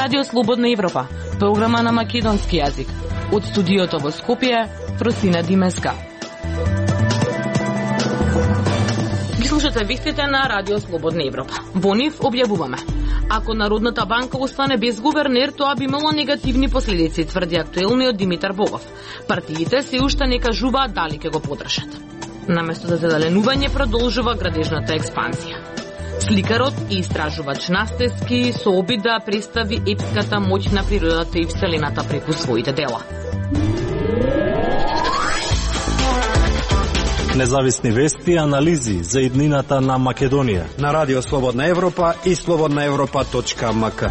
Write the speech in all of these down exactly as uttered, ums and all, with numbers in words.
Радио Слободна Европа, програма на македонски јазик. Од студиото во Скопје, Просина Димеска. Ги слушате вестите на Радио Слободна Европа. Во нив објавуваме: ако Народната банка остане без гувернер, тоа би имало негативни последици, тврди актуелниот Димитар Богов. Партиите се уште не кажуваат дали ќе го подржат. Наместо за зеленување продолжува градежната експанзија. Сликарот и истражувач Настески со обид да представи епската моќ на природата и вселената преку своите дела. Независни вести и анализи за иднината на Македонија на Радио Слободна Европа и слободна европа точка ем ка.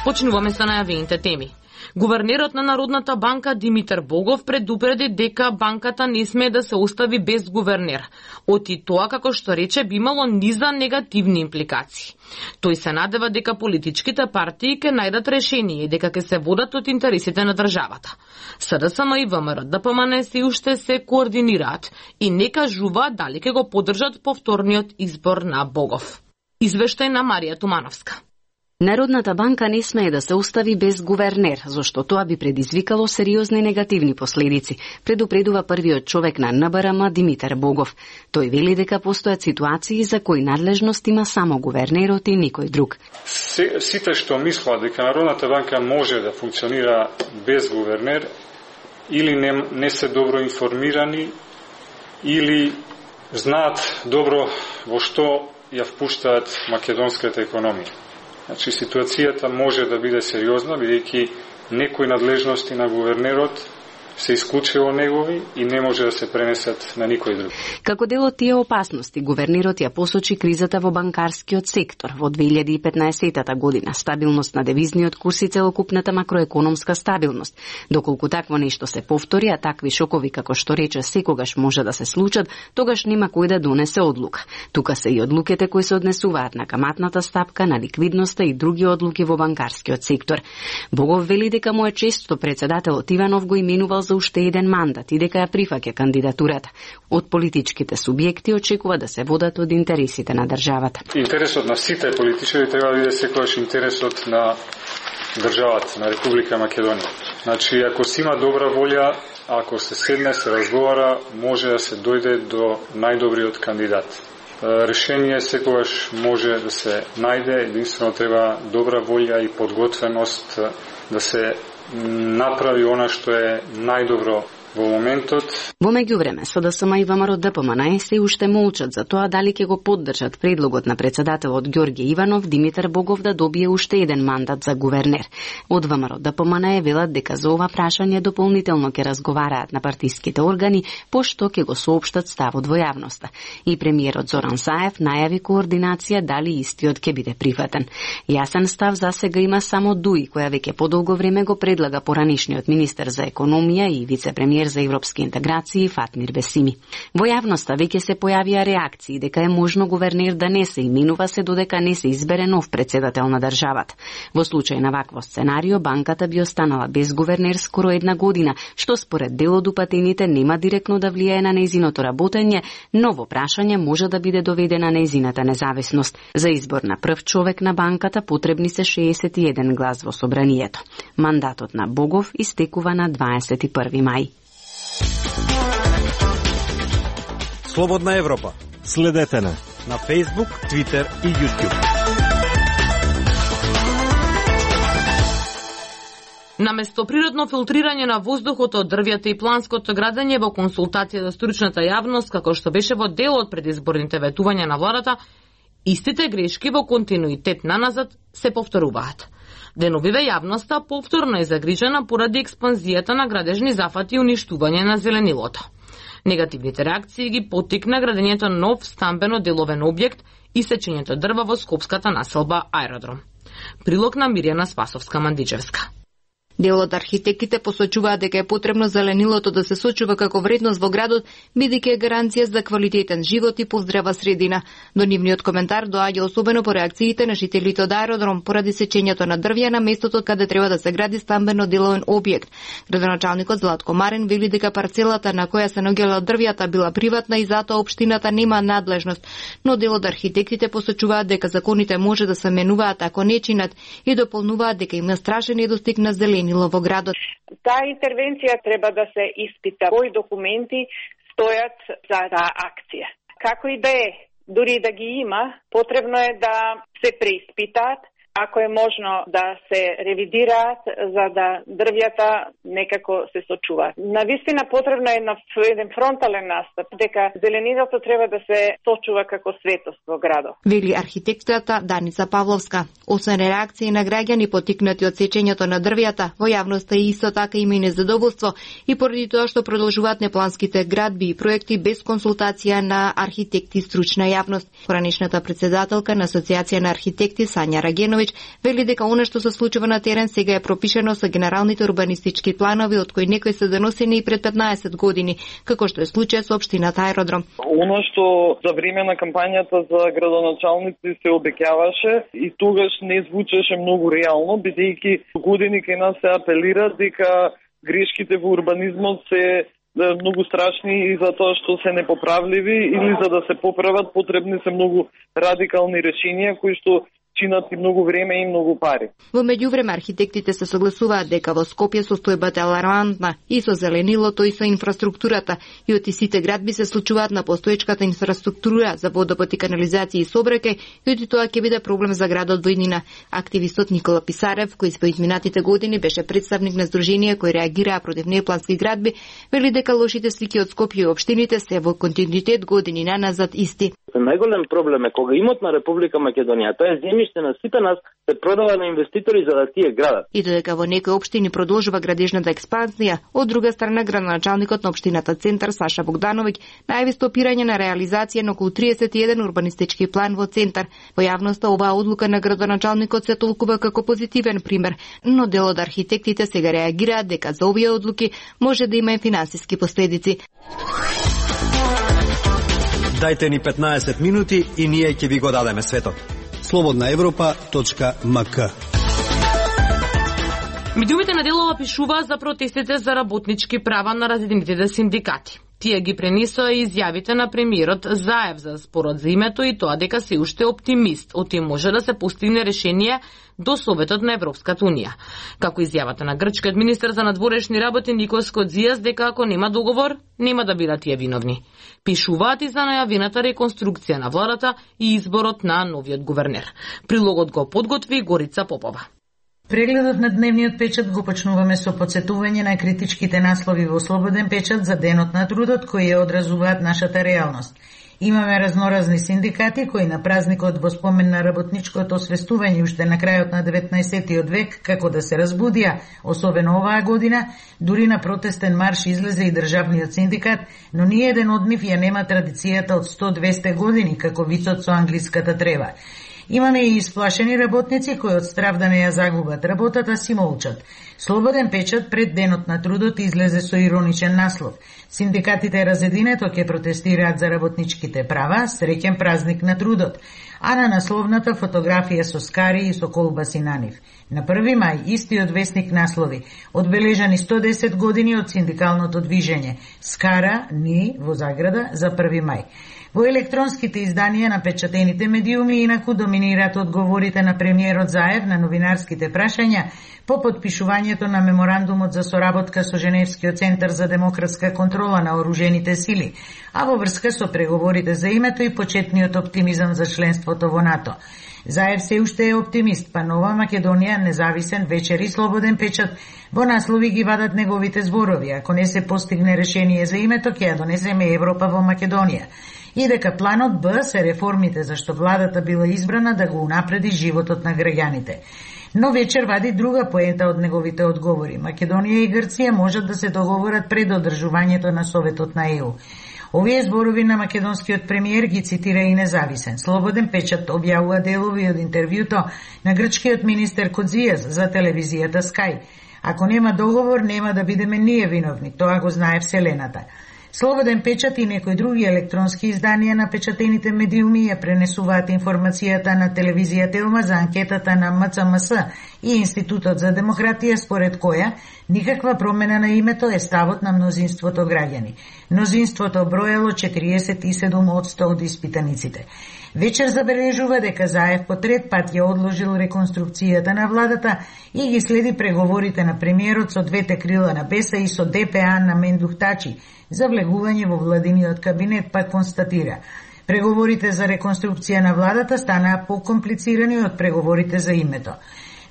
Почнуваме со најавените теми. Гувернерот на Народната банка Димитар Богов предупреди дека банката не смее да се остави без гувернер. Оти тоа, како што рече, би имало низа негативни импликации. Тој се надева дека политичките партии ќе најдат решение и дека ќе се водат од интересите на државата. СДСМ и ВМРО Д П М Н се уште се координираат и не кажуваат дали ќе го поддржат повторниот избор на Богов. Извештај на Марија Тумановска. Народната банка не смее да се остави без гувернер, зашто тоа би предизвикало сериозни негативни последици, предупредува првиот човек на Н Б Р М Димитар Богов. Тој вели дека постојат ситуации за кои надлежност има само гувернерот и никој друг. Сите што мислат дека Народната банка може да функционира без гувернер, или не, не се добро информирани, или знаат добро во што ја впуштаат македонската економија. Значи, ситуацијата може да биде сериозна, бидејќи некои надлежности на гувернерот се исклучило негови и не може да се пренесат на никој друг. Како дел од тие опасности, гувернерот ја посочи кризата во банкарскиот сектор во две илјади и петнаесетта година, стабилност на девизниот курс и целокупната макроекономска стабилност. Доколку такво нешто се повтори, а такви шокови како што рече секогаш може да се случат, тогаш нема кој да донесе одлука. Тука се и одлуките кои се однесуваат на каматната стапка, на ликвидноста и други одлуки во банкарскиот сектор. Богов вели дека му е често председателот Иванов го именувал за уште еден мандат и дека ја прифаќа кандидатурата. Од политичките субјекти очекува да се водат од интересите на државата. Интересот на сите политичари треба да биде секогаш интересот на државата, на Република Македонија. Значи, ако си има добра волја, ако се седне, се разговара, може да се дојде до најдобриот кандидат. Решение секогаш може да се најде, единствено треба добра волја и подготвеност да се направи она што е најдобро во моментот. Во меѓувреме, СДСМ и ВМРО Д П М Н се уште молчат за тоа дали ќе го поддржат предлогот на председателот Ѓорѓе Иванов Димитар Богов да добие уште еден мандат за гувернер. Од ВМРО Д П М Н велат дека за ова прашање дополнително ќе разговараат на партиските органи, пошто ќе го соопштат ставот во јавноста. И премиерот Зоран Заев најави координација дали истиот ќе биде прифатен. Јасен став засега има само ДУИ, која веќе подолго време го предлага поранишниот министер за економија и вице-премиер за европски интеграции Фатмир Бесими. Во јавноста веќе се појавија реакции дека е можно гувернер да не се именува се додека не се избере нов председател на државата. Во случај на вакво сценарио, банката би останала без гувернер скоро една година, што според дел од упатените нема директно да влијае на нејзиното работење, но во прашање може да биде доведена нејзината независност. За избор на прв човек на банката потребни се шеесет и еден глас во собранието. Мандатот на Богов истекува на дваесет и први мај. Слободна Европа. Следете на на Facebook, Twitter и YouTube. Наместо природно филтрирање на воздухот од дрвјата и планското градење во консултација за стручната јавност, како што беше во дел од предизборните ветувања на владата, истите грешки во континуитет наназад се повторуваат. Деновиве јавноста повторно е загрижена поради експанзијата на градежни зафати и уништување на зеленилото. Негативните реакции ги поттикна градењето нов стамбено-деловен објект и сечењето дрва во скопската населба Аеродром. Прилог на Мирјана Спасовска-Мандичевска. Дел од архитектите посочуваат дека е потребно зеленилото да се сочува како вредност во градот, бидејќи е гаранција за квалитетен живот и поздрава средина. До нивниот коментар доаѓа особено по реакциите на жителите од аеродром поради сечењето на дрвја на местото каде треба да се гради стамбено деловен објект. Градоначалникот Златко Марин вели дека парцелата на која се наоѓала дрвјата била приватна и затоа општината нема надлежност, но дел од архитектите посочуваат дека законите може да се менуваат ако не чинат и дополнуваат дека има страшен недостиг на зеленило во градот. Таа интервенција треба да се испита кои документи стојат за таа акција. Како и да е, дури да ги има, потребно е да се преиспитаат, ако е можно да се ревидираат за да дрвјата некако се сочуваат. Навистина потребно е на еден фронтален настап дека зеленилото треба да се сочува како светост во градот. Вели архитектата Даница Павловска. Освен реакции на граѓани поттикнати од сечењето на дрвјата, во јавноста и исто така има и незадоволство и поради тоа што продолжуваат непланските градби и проекти без консултација на архитекти и стручна јавност. Поранешната председателка на Асоциација на архитекти Сања Рагеновиќ вели дека она што се случува на терен сега е пропишено со генералните урбанистички планови од кои некои се донесени и пред петнаесет години, како што е случај со општината Аеродром. Оно што за време на кампањата за градоначалници се обеќаваше и тогаш не звучеше многу реално, бидејќи години кај нас се апелира дека грешките во урбанизмот се многу страшни и затоа што се непоправливи или за да се поправат потребни се многу радикални решенија кои што чинат и многу време и многу пари. Во меѓувреме архитектите се согласуваат дека во Скопје состојбата е алармантна и со зеленилото и со инфраструктурата и од сите градби се случуваат на постоечката инфраструктура за водопот и канализација и сообраќај и од тоа ќе биде проблем за градот во иднина. Активистот Никола Писарев, кој во изминатите години беше представник на здруженија кои реагираа против неплански градби, вели дека лошите слики од Скопје и општините се во континуитет години наназад исти. Најголем проблем е кога имот на Република Македонија, тоа е земјиште на сите нас, се продава на инвеститори за да тие градат. И додека во некои општини продолжува градежната експанзија, од друга страна градоначалникот на општината Центар Саша Богдановиќ најави стопирање на реализација на околу триесет и еден урбанистички план во Центар. Во јавноста оваа одлука на градоначалникот се толкува како позитивен пример, но дел од архитектите сега реагираат дека за овие одлуки може да има и финансиски последици. Дајте ни петнаесет минути и ние ќе ви го дадеме светот. слободна европа точка ем ка. Медиумите на делова пишуваат за протестите за работнички права на разединетите синдикати. Тие ги пренесоа изјавите на премиерот Заев за спорот за името и тоа дека се уште оптимист, оти може да се постигне решение до Советот на Европската Унија. Како изјавата на грчкиот министер за надворешни работи Никос Кодзијас дека ако нема договор, нема да бидат тие виновни. Пишуваат и за најавената реконструкција на владата и изборот на новиот гувернер. Прилогот го подготви Горица Попова. Прегледот на дневниот печат го почнуваме со потсетување на критичките наслови во Слободен печат за Денот на трудот кои ја одразуваат нашата реалност. Имаме разноразни синдикати кои на празникот во спомен на работничкото освестување уште на крајот на деветнаесеттиот век како да се разбудија, особено оваа година, дури на протестен марш излезе и државниот синдикат, но ни еден од нив ја нема традицијата од сто до двесте години како вицот со англиската трева. Имаме и исплашени работници кои од страв да не ја загубат работата си молчат. Слободен печат пред Денот на трудот излезе со ироничен наслов. Синдикатите Разединето ќе протестираат за работничките права, среќен празник на трудот. А на насловната фотографија со скари и со колбаси на нив. На први мај истиот весник наслови: одбележани сто десет години од синдикалното движење. Скара ни во заграда за први мај. Во електронските изданија на печатените медиуми инаку доминираат одговорите на премиерот Заев на новинарските прашања по подпишувањето на меморандумот за соработка со Женевскиот центар за демократска контрола на оружените сили, а во врска со преговорите за името и почетниот оптимизам за членството во НАТО. Заев се уште е оптимист, па Нова Македонија, Независен, Вечер и Слободен печат во наслови ги вадат неговите зборови. Ако не се постигне решение за името, ќе ја донесеме Европа во Македонија. И дека планот Б се реформите зашто владата била избрана да го унапреди животот на граѓаните. Но Вечер вади друга поента од неговите одговори. Македонија и Грција можат да се договорат пред одржувањето на Советот на Е У. Овие зборови на македонскиот премиер ги цитира и Независен. Слободен печат објавува делови од интервјуто на грчкиот министер Кодзијас за телевизијата Скај. Ако нема договор, нема да бидеме ние виновни, тоа го знае Вселената. Слободен печат и некои други електронски изданија на печатените медиуми ја пренесуваат информацијата на телевизија Телма за анкетата на М Ц М С и Институтот за демократија, според која никаква промена на името е ставот на мнозинството граѓани. Мнозинството броело четириесет и седум одсто од испитаниците. Вечер забележува дека Заев по трет пат ја одложил реконструкцијата на владата и ги следи преговорите на премиерот со двете крила на Беса и со Д П А на Мендух Тачи за влегување во владиниот кабинет, пак констатира. Преговорите за реконструкција на владата станаа покомплицирани од преговорите за името.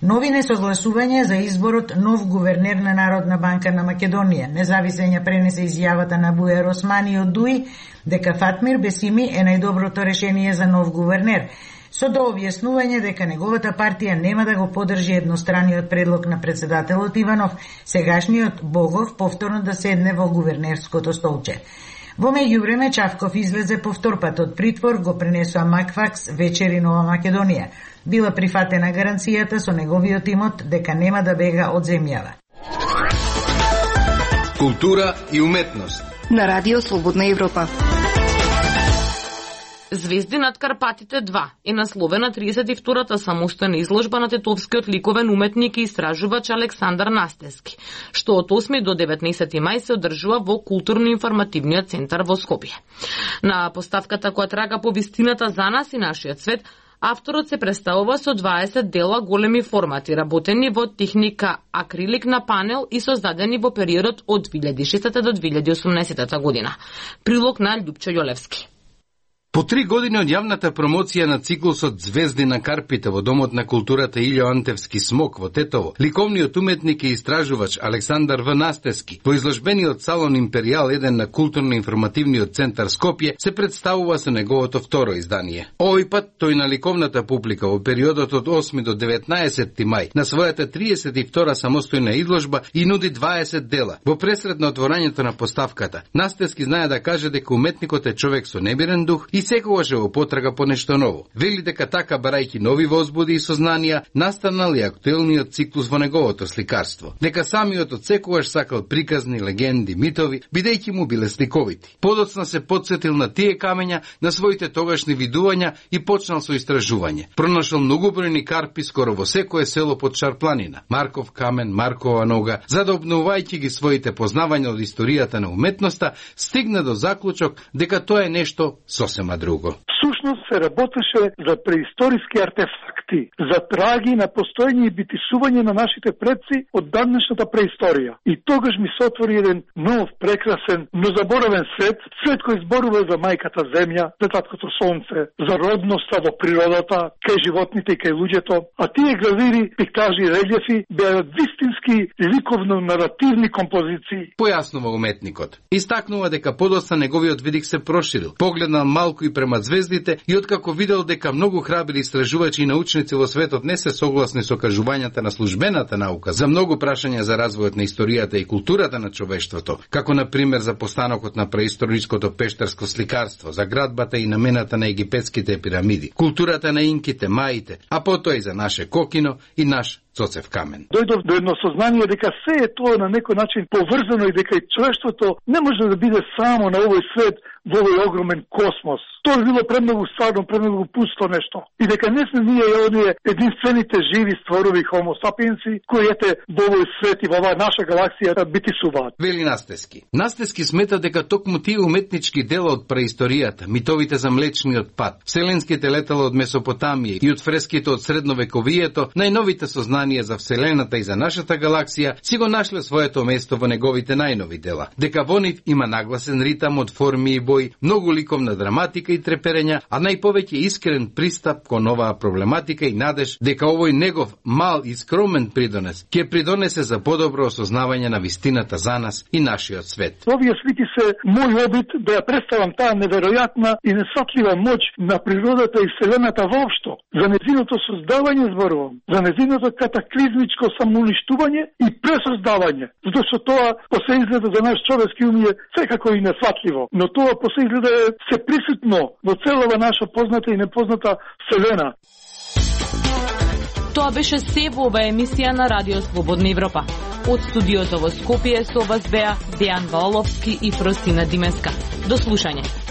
Нови несогласувања за изборот нов гувернер на Народна банка на Македонија. Независен ја пренесе изјавата на Бујар Османи од Дуи дека Фатмир Бесими е најдоброто решение за нов гувернер, со дообјаснување дека неговата партија нема да го поддржи едностраниот предлог на председателот Иванов, сегашниот Богов повторно да седне во гувернерското столче. Во меѓувреме Чавков излезе по втор пат од притвор, го пренесоа Макфакс, Вечер и Нова Македонија. Била прифатена гаранцијата со неговиот имот дека нема да бега од земјава. Култура и уметност на Радио Слободна Европа. Звезди над Карпатите два е насловена триесет и втората самостојна изложба на тетовскиот ликовен уметник и истражувач Александар Настески, што од осми до деветнаесети мај се одржува во Културно-информативниот центар во Скопје. На поставката која трага по вистината за нас и нашиот свет, авторот се представува со дваесет дела големи формати, работени во техника акрилик на панел и создадени во периодот од две илјади и шестата до две илјади и осумнаесета година. Прилог на Љупчо Јолевски. По три години од јавната промоција на циклусот Звезди на Карпите во Домот на културата Илјо Антевски Смок во Тетово, ликовниот уметник и истражувач Александар В. Настески во изложбениот салон Империјал еден на Културно-информативниот центар Скопје се представува со неговото второ издание. Овој пат тој на ликовната публика во периодот од осми до деветнаесети мај на својата триесет и втора самостојна изложба и нуди дваесет дела. Во пресред на отворањето на поставката, Настески знае да каже дека уметникот е човек со немирен дух и секогаш е во потрага по нешто ново. Вели дека така, барајќи нови возбуди и сознанија, настанал и актуелниот циклус во неговото сликарство. Дека самиот од секогаш сакал приказни, легенди, митови, бидејќи му биле сликовити. Подоцна се подсетил на тие камења, на своите тогашни видувања и почнал со истражување. Пронашол многобројни карпи скоро во секое село под Шарпланина, Марков камен, Маркова нога, за да обновувајќи ги своите познавања од историјата на уметноста, стигна до заклучок дека тоа е нешто сосема друго. Всушност се работеше за преисториски артефакти, за траги на постојање и битишување на нашите предци од давнешната преисторија. И тогаш ми се отвори еден нов, прекрасен, но заборавен свет, свет кој зборува за мајката земја, за таткото сонце, за родноста во природата, кај животните и кај луѓето, а тие гравири, пиктажи и релјефи беа вистински ликовно-наративни композиции. Појаснува уметникот. Истакнува дека подоцна неговиот видик се проширил, погледнал малку и према звездите и откако видел дека многу храбри истражувачи и научници во светот не се согласни со кажувањата на службената наука за многу прашања за развојот на историјата и културата на човештвото, како на пример за постанокот на преисториското пештарско сликарство, за градбата и намената на египетските пирамиди, културата на инките, маите, а потоа и за наше кокино и наш Цоцев камен. Дојдов до едно сознание дека се е тоа на некој начин поврзано и дека и човештвото не може да биде само на овој свет, во овој огромен космос. Тоа било премногу стварно, премногу пусто нешто. И дека не сме ние оние единствените живи створови хомо сапиенси, кои ете во овој свет и во оваа наша галаксија да битисуваат. Вели Настески. Настески смета дека токму тие уметнички дела од преисторијата, митовите за Млечниот пат, вселенските летала од Месопотамија и од фреските од средновековието, најновите сознанија за Вселената и за нашата галаксија, си го нашле своето место во неговите најнови дела. Дека во нив има нагласен ритам од форми и бој, многу ликовна драматика и треперења, а најповеќе искрен пристап кон оваа проблематика и надеж дека овој негов мал и скромен придонес ќе придонесе за подобро осознавање на вистината за нас и нашиот свет. Овие слики се мој обид да ја представам таа неверојатна и несфатлива моќ на природата и Вселената воопшто. За незиното создавање зборувам, за незиното катаклизмичко самоуништување и пресоздавање, затоа што тоа по се изгледа за наш човечки ум е секако и несфатливо, но тоа по се изгледа е се присутно во целава наша позната и непозната Вселена. Тоа беше се во оваа емисија на Радио Слободна Европа. Од студиото во Скопје со вас беа Дејан Ваоловски и Фростина Димеска. До слушање.